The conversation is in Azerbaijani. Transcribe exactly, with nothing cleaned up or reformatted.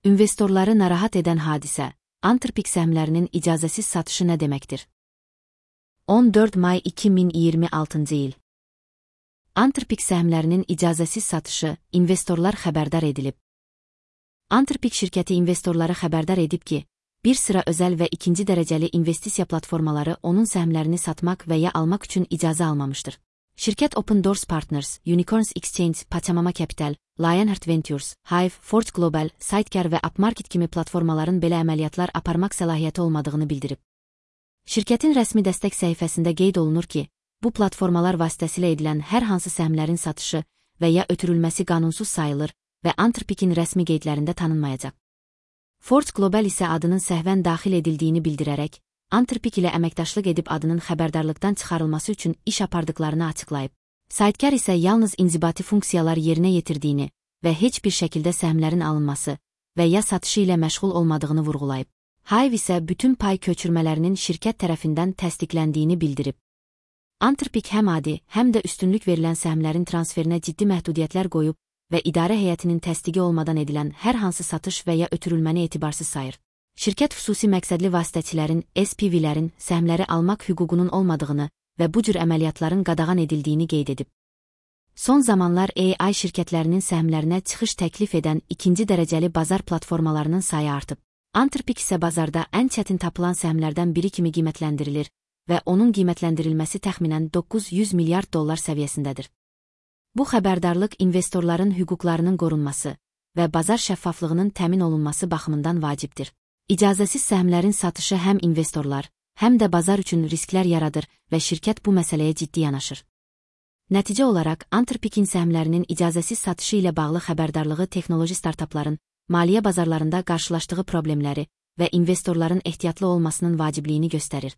İnvestorları narahat edən hadisə, Antırpik səhmlərinin icazəsiz satışı nə deməkdir? on dörd may iki min iyirmi altıncı il. Antırpik səhmlərinin icazəsiz satışı, investorlar xəbərdar edilib. Antırpik şirkəti investorları xəbərdar edib ki, bir sıra özəl və ikinci dərəcəli investisiya platformaları onun səhmlərini satmaq və ya almaq üçün icazə almamışdır. Şirkət Open Doors Partners, Unicorns Exchange, Pachamama Capital, Lionheart Ventures, Hive, Forge Global, Sidecar və Upmarket kimi platformaların belə əməliyyatlar aparmaq səlahiyyəti olmadığını bildirib. Şirkətin rəsmi dəstək səhifəsində qeyd olunur ki, bu platformalar vasitəsilə edilən hər hansı səhmlərin satışı və ya ötürülməsi qanunsuz sayılır və Antırpikin rəsmi qeydlərində tanınmayacaq. Forge Global isə adının səhvən daxil edildiyini bildirərək, Antırpik ilə əməkdaşlıq edib adının xəbərdarlıqdan çıxarılması üçün iş apardıqlarını açıqlayıb. Sidecar isə yalnız inzibati funksiyalar yerinə yetirdiyini və heç bir şəkildə səhmlərin alınması və ya satışı ilə məşğul olmadığını vurğulayıb. Hive isə bütün pay köçürmələrinin şirkət tərəfindən təsdiqləndiyini bildirib. Antırpik həm adi, həm də üstünlük verilən səhmlərin transferinə ciddi məhdudiyyətlər qoyub və idarə heyətinin təsdiqi olmadan edilən hər hansı satış və ya ötürülməni etibarsız sayır. Şirkət xüsusi məqsədli vasitəçilərin, S P V-lərin səhmləri almaq hüququnun olmadığını və bu cür əməliyyatların qadağan edildiyini qeyd edib. Son zamanlar A I şirkətlərinin səhmlərinə çıxış təklif edən ikinci dərəcəli bazar platformalarının sayı artıb. Antırpik isə bazarda ən çətin tapılan səhmlərdən biri kimi qiymətləndirilir və onun qiymətləndirilməsi təxminən doqquz yüz milyard dollar səviyyəsindədir. Bu xəbərdarlıq investorların hüquqlarının qorunması və bazar şəffaflığının təmin olunması baxımından vacibdir. İcazəsiz səhmlərin satışı həm investorlar, həm də bazar üçün risklər yaradır və şirkət bu məsələyə ciddi yanaşır. Nəticə olaraq, Antırpikin səhmlərinin icazəsiz satışı ilə bağlı xəbərdarlığı texnoloji startapların maliyyə bazarlarında qarşılaşdığı problemləri və investorların ehtiyatlı olmasının vacibliyini göstərir.